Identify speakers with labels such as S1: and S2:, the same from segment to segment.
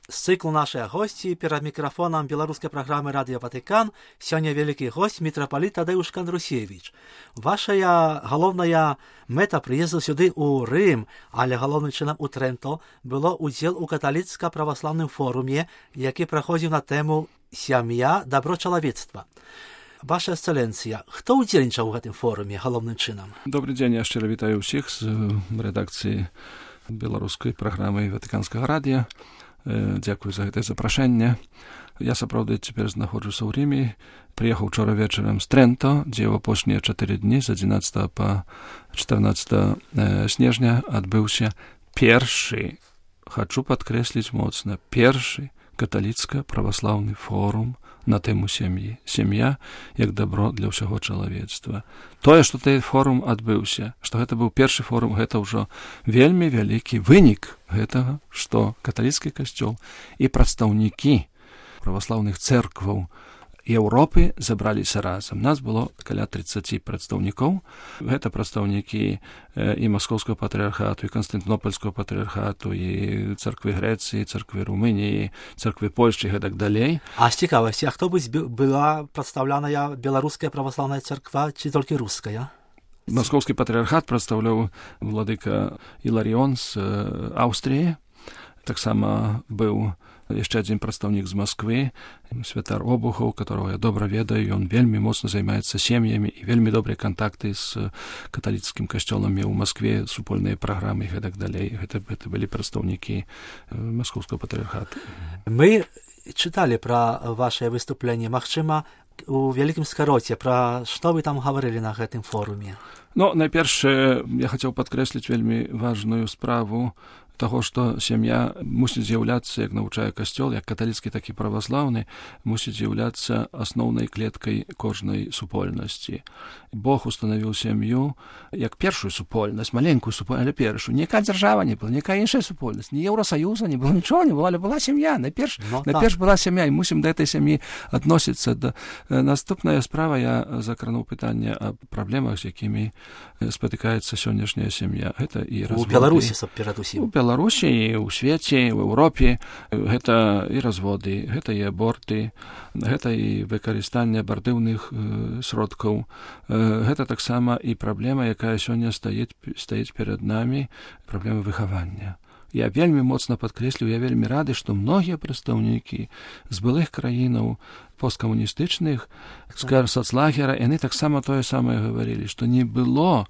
S1: З цыклу нашыя госці перад мікрафонам беларускай праграмы Радыё Ватыкан сёння вялікі госць мітрапаліт Тадеуш Кандрусевіч. Вашая галоўная мэта прыезду сюды ў Рым, але галоўным чынам у Трэнто было удзел у каталіцка-праваслаўным форуме, які праходзіў на тэму «Сям'я, дабро чалавецтва». Ваша эксцэленцыя, хто ўдзельнічаў у гэтым форуме галоўным чынам?
S2: Добрый дзень, я шчыра вітаю ўсіх з рэдакцыі беларускай праграмы Ватыканскага радыё. Дзякую за гэтае запрашэнне. Я сапраўды цяпер знаходжуся ў Рыме. Прыехаў учора вечарам з Трэнто, дзе ў апошнія 4 дні з 11 па 14 снежня адбыўся першы, хачу падкрэсліць моцна, першы каталіцка-праваслаўны форум на тэму сям'і. Сям'я як дабро для ўсяго чалавецтва. Тое, што той форум адбыўся, што гэта быў першы форум, гэта ўжо вельмі вялікі вынік гэтага, што каталіцкі касцёл і прадстаўнікі праваслаўных цэркваў Еўропы забраліся разам. Нас было каля 30 прадстаўнікоў. Гэта прадстаўнікі і Маскоўскага патрыархату, і Канстантынопольскага патрыархату, і царквы Грэцыі, царквы Румыніі, царквы Польшчы і гэтак далей.
S1: А з цікавасці, а хто была прадстаўляная беларуская праваслаўная царква ці толькі руская?
S2: Маскоўскі патрыархат прадстаўляў владыка Іларіон з Аўстрыі. Таксама быў яшчэ адзін прадстаўнік з Масквы, святар Обухаў, которого я добра ведаю, ён вельмі моцна займаецца сем'ямі і вельмі добрыя кантакты з каталіцкім касцёлам меў у Маскве, супольныя праграмы і гэтак далей. Гэта былі прадстаўнікі Маскоўскага патрыархату.
S1: Мы чыталі пра вашае выступленне, магчыма, у вялікім скароце, пра што вы там гаварылі на гэтым форуме?
S2: Найперш, я хацеў падкрэсліць вельмі важную справу таго, што сям'я мусіць з'яўляцца, як навучае касцёл, як каталіцкі, так і праваслаўны, мусіць з'яўляцца асноўнай клеткай кожнай супольнасці. Бог устанавіў сям'ю як першую супольнасць, маленькую супольнасць, але першую. Ніякая дзяржава не была, ніякая іншая супольнасць, ні Еўрасаюза не было, нічого не было, але была сям'я. Найперш была сям'я, і мусім да этой сям'і адносіцца. Наступная справа, я закрануў пытанне аб праблемах, з якімі спатыкаецца сённяшняя сям'я. Гэта і разводы.
S1: У Беларусі, перадусім.
S2: Беларусі і ў свеце, ў Еўропе, гэта і разводы, гэта і аборты, гэта і выкарыстанне абартыўных сродкаў. Гэта таксама і праблема, якая сёння стаіць перад намі, праблема выхавання. Я вельмі моцна падкрэслю, я вельмі рады, што многія прадстаўнікі з былых краінаў посткамуністычных, соцлагера, яны таксама тое самае гаварылі, што не было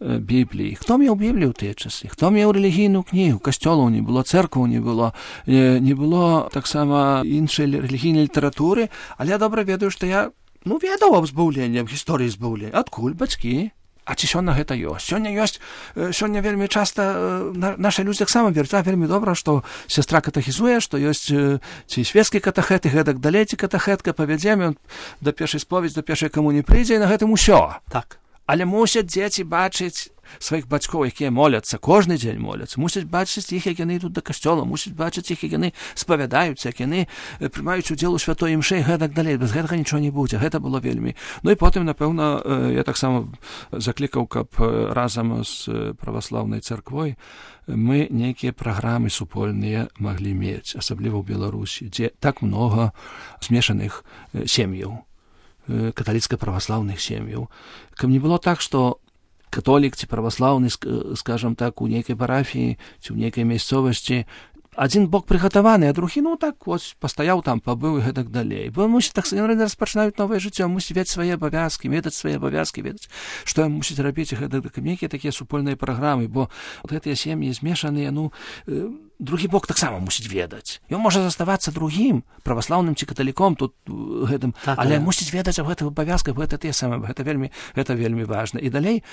S2: Бібліі. Хто меў Біблію ў тыя часы? Хто меў рэлігійную кнігу? Касцёлаў не было, цэркваў не было таксама іншай рэлігійнай літаратуры, але я добра ведаю, што я ведаў аб збаўленні, аб гісторыі збаўлення. Адкуль бацькі? А ці сёння гэта ёсць? Сёння вельмі часта нашы людзі таксама вераць, вельмі добра, што сястра катахізуе, што ёсць ці свецкі катахэт, і гэтак далей, ці катахэтка, павядзем, ён да першай споведзі, да першай камуніі прыйдзе, і на гэтым усё.
S1: Так.
S2: Але мусяць дзеці бачыць сваіх бацькоў, якія моляцца, кожны дзень моляцца, мусяць бачыць іх, як яны ідуць да касцёла, мусяць бачыць іх, як яны спавядаюцца, як яны прымаюць удзел у святой імшы і гэтак далей. Без гэтага нічого не будзе. Гэта было вельмі. І потым, напэўна, я таксама заклікаў, каб разам з праваслаўнай царквой мы нейкія праграмы супольныя маглі мець, асабліва ў Беларусі, дзе так многа змешаных сем'яў, каталіцка-праваслаўных сем'яў. Каб не было так, што католік ці праваслаўны, скажам так, у нейкай парафіі ці ў нейкай мясцовасці адзін бок прыгатаваны, а другі, пастаяў там, пабыў і гэтак далей. Бо мусіць так распачынаюць новае жыццё, мусіць ведаць свае абавязкі, ведаць, што ім мусіць рабіць, гэта нейкія такія супольныя праграмы, бо гэтыя сем'і змешаныя, другі бок таксама мусіць ведаць. Ён можа заставацца другім, праваслаўным ці каталіком тут гэтым, але мусіць ведаць аб гэтых абавязках, гэта вельмі важна. І далей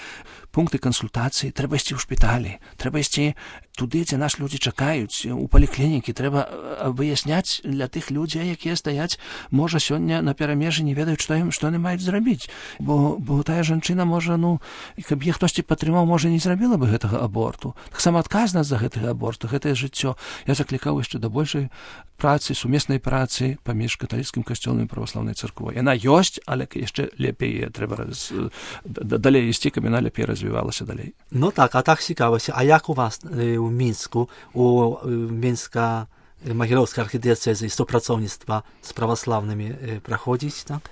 S2: пункты кансультацыі, трэба ісці ў шпіталі, трэба ісці туды, дзе наш людзі чакаюць, у паліклінікі, трэба выясняць для тых людзей, якія стаяць, можа, сёння на перамежы не ведаюць, што яны маюць зрабіць, бо тая жанчына можа, каб іх хтосьці падтрымаў, можа, не зрабіла бы гэтага аборту. Таксама адказнасць за гэтага аборту, гэтае жыццё. Я заклікаў яшчэ да большай працы, сумеснай працы паміж каталіцкім касцёлам і праваслаўнай царквой. Яна ёсць, але яшчэ лепей трэба далей ісці, каб яна лепей развівалася далей.
S1: А так цікавася. А як у вас у Мінску, у Мінска Магілёўскай архідыяцэзы і супрацоўніцтва з праваслаўнымі праходзіць, так?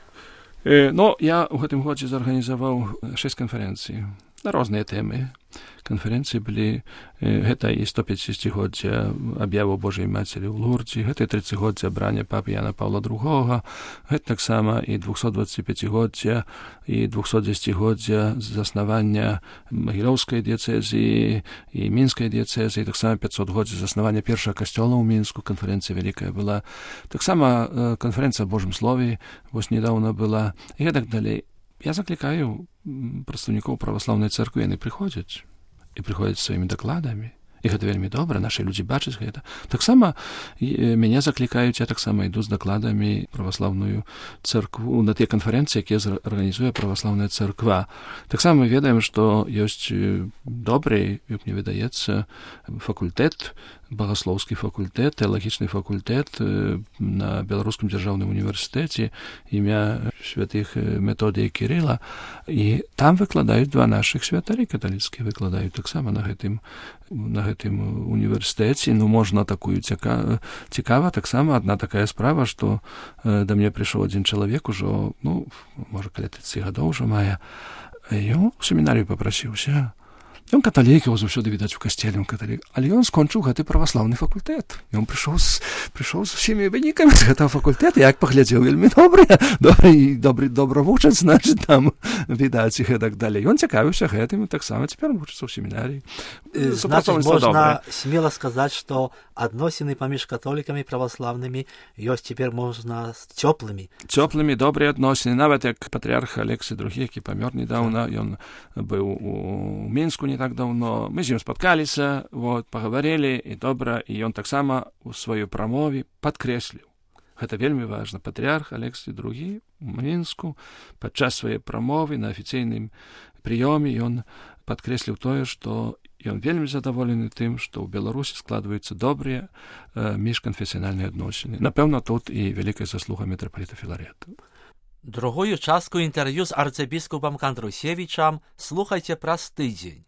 S2: Ну, я ў гэтым годзе зарганізаваў 6 канферэнцый на розныя тэмы. Канферэнцыі былі, гэта і 150-годдзя аб'яву Божай Мацері ў Лурдзе, гэта і 30-годдзя абрання папы Яна Паўла II, гэта таксама і 225-годдзя і 210-годдзя заснавання Магілёўскай дыяцэзіі і Мінскай дыяцэзіі, таксама 500-годдзя заснавання першага касцёла ў Мінску, канферэнцыя вялікая была. Таксама канферэнцыя о Божым Слове вось недаўно была, і гэтак далей. Я заклікаю прадстаўнікоў праваслаўнай царквы, яны прыходзяць і прыходзяць сваімі дакладамі. І гэта вельмі добра, нашы людзі бачаць гэта. Таксама мяне заклікаюць, я таксама іду з дакладамі праваслаўную царкву на тыя канферэнцыі, якія арганізуе праваслаўная царква. Таксама мы ведаем, што ёсць добры, як мне выдаецца, факультэт, багаслоўскі факультэт, тэалагічны факультэт на Беларускім дзяржаўным універсітэце імя святых Методія Кірыла, і там выкладаюць два нашых святары каталіцкія, выкладаюць таксама на гэтым універсітэце. Ну, можна такую цікава, таксама адна такая справа, што да мне прыйшоў адзін чалавек ужо, ну, можа, каля 30 гадоў ужо мае, ён у семінарыю папрасіўся. Ён каталік, его заўсёды відаць у касцеле, ён каталік, але ён скончыў гэты праваслаўны факультэт. Ён прыйшоў з усімі вынікамі з гэтага факультэта, як паглядзеў, вельмі добра вучаць, значыць, там відаць і гэтак далей. Ён цікавіўся гэтым, і таксама цяпер вучыцца ў семінарыі.
S1: Значыць, можна смела сказаць, што адносіны паміж католікамі і праваслаўнымі ёсць цяпер можна цёплымі.
S2: Цёплымі, добрыя адносіны. Нават як патрыарх Алексій II, які памёр недаўна, ён быў у Мінску не так даўно. Мы з ім спаткаліся, пагаварылі, і добра, і ён таксама у сваёй прамове падкрэсліў. Гэта вельмі важна. Патрыарх Алексій II у Мінску падчас сваёй прамовы на афіцыйным прыёме ён падкрэсліў тое, што ён вельмі задаволены тым, што ў Беларусі складваюцца добрыя міжканфесіянальныя адносіны. Напэўна, тут і вялікая заслуга мітрапаліта Філарета.
S1: Другую частку інтэрв'ю з арцыбіскупам Кандрусевічам слухайце праз тыдзень.